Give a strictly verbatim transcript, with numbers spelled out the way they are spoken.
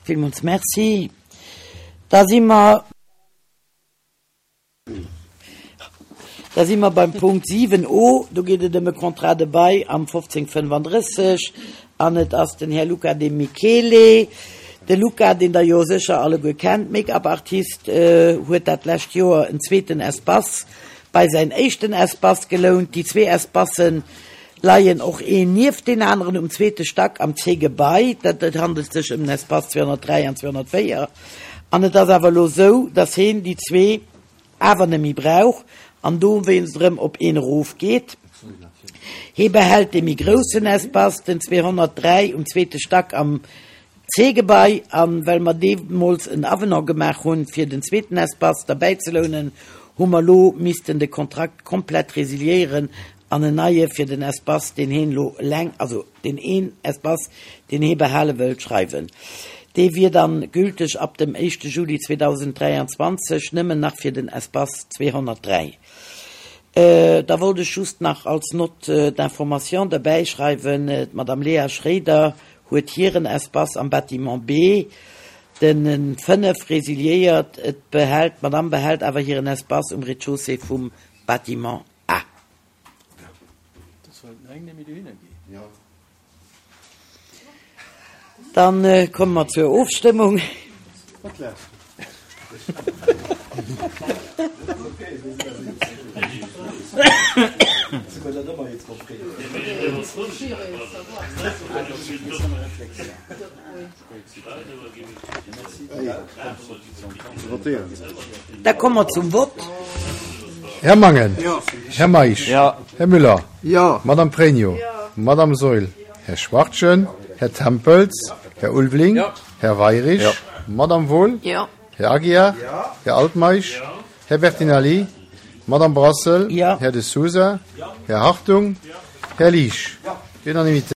Villmools Merci. Da si mer, da si mer beim Punkt siwen o. Do geet et ëm e Contrat de bail am fofzéng fënnefandrësseg an et ass den Här Luca De Michele. De Luca, deen Der jo sécher alleguer kennt, Make-up-Artist, huet dat lescht Joer en zweeten Espace bei säin éischten Espace gelount. Déi zwee Espacen leien och een nieft deen aneren um zweete Stack am C-Gebai. Dat et handelt sech ëm den Espace zweehonnertdräi an zweehonnertvéier. An et ass awer elo esou, dass heen déi zwee awer net méi brauch an dowéinst erëm op een erofgeet. Hee behält dee méi groussen Espace, den zweehonnertdräi um zweete Stack am C-Gebai. A well mer deemools en Avenant gemaach hunn, fir den zweeten Espace derbäizelounen, hu mer elo missten de Kontrakt komplett resiliéieren an en neie fir den Espace, deen heen elo eleng, also deen een Espace, deen hee behale wëllt, schreiwen. Dee wier dann gülteg ab dem éischte Juli zweedausenddräianzwanzeg, nëmmen nach fir den Espace zweehonnertdräi. Da wollt ech just nach als Note d'information derbäischreiwen, d'Madame Léa Schréider huet hiren Espace am Bâtiment B, den fënnef, resiliéiert. Et behält, d'Madame behält awer hiren Espace um Rez-de-chaussée vum Bâtiment A. Dann komme mer zur Ofstëmmung. Da komme mer zum Vott. Här Mangen. Här Meisch. Här Müller. Madame Pregno. Madame Saeul. Här Schwachtgen. Här Tempels. Här Ulveling. Här Weirich. Madame Wohl. Här Aguiar. Här Altmeisch. Här Bertinelli. Madame Brassel. Här De Sousa. Här Hartung. Här Liesch. Unanimité.